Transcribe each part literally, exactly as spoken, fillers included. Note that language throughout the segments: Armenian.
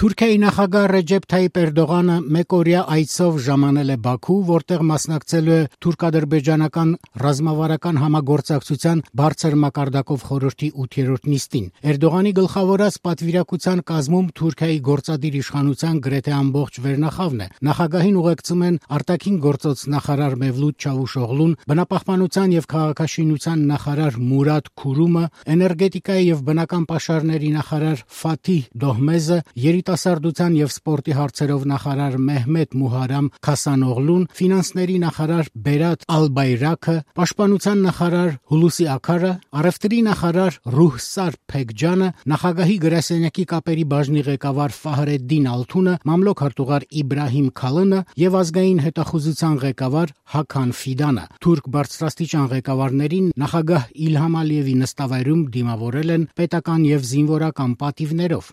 Թուրքիայի նախագահ Ռեջեփ Թայիփ Էրդողանը մեկօրյա այցով ժամանել է Բաքու, որտեղ մասնակցելու է թուրք-ադրբեջանական ռազմավարական համագործակցության բարձր մակարդակով խորհրդի ութերորդ նիստին։ Էրդողանի գլխավորած պատվիրակության կազմում Թուրքիայի գործադիր իշխանության գրեթե ամբողջ վերնախավն է։ Նախագահին ուղեկցում են արտաքին գործոց նախարար Մևլութ Չավուշօղլուն, բնապահպանության եւ քաղաքաշինության նախարար Մուրադ Քուրումը, էներգետիկայի եւ բնական պաշարների նախարար Ֆաթիհ Դոհմեզը, երիտասարդության եւ սպորտի հարցերով նախարար Մեհմեդ Մուհարամ Քասանօղլուն, ֆինանսների նախարար Բերատ Ալբայրաքը, պաշտպանության նախարար Հուլուսի Աքարը, առևտրի նախարար Ռուհսար Փեքջանը, նախագահի գրասենյակի կապերի բաժնի ղեկավար Ֆահրեդդին Ալթունը, մամլոք հրտուղար Իբրահիմ Քալընը եւ ազգային հետախուզության ղեկավար Հաքան Ֆիդանը։ Թուրք բարձրաստիճան ղեկավարներին նախագահ Իլհամ Ալիևի նստավայրում դիմավորել են պետական եւ զինվորական պատիվներով։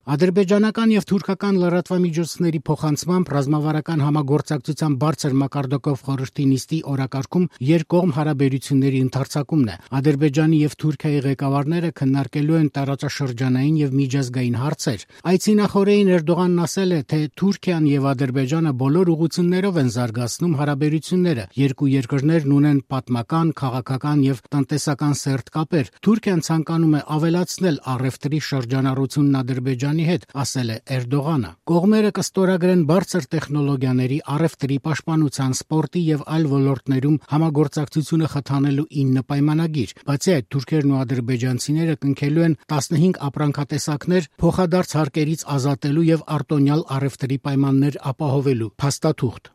Ադրբեջանական եւ թուրքական լրատվամիջոցների փոխանցմամբ ռազմավարական համագործակցության բարձր մակարդակով խորհրդի նիստի օրակարգում երկկողմ հարաբերությունների ընդարձակումն է։ Ադրբեջանի եւ Թուրքիայի ղեկավարները քննարկելու են տարածաշրջանային եւ միջազգային հարցեր։ Այցի նախօրեին Էրդողանն ասել է, թե Թուրքիան եւ Ադրբեջանը բոլոր ուղղություններով են զարգացնում հարաբերությունները։ Երկու երկրներն ունեն պատմական, քաղաքական եւ տնտեսական սերտ կապեր։ Թուրքիան ցանկանում է ավելացնել առևտրի շրջանառությունն Ադրբեջանի հետ, ասել է Էրդողանը։ Կողմերը կստորագրեն բարձր տեխնոլոգիաների, առևտրի, պաշտպանության, սպորտի եւ այլ ոլորտներում համագործակցությունը խթանելու ինը պայմանագիր։ Բացի այդ, թուրքերն ու ադրբեջանցիները կնքելու են տասնհինգ ապրանքատեսակներ փոխադարձ հարկերից ազատելու եւ արտոնյալ առևտրի պայմաններ ապահովելու փաստաթուղթ։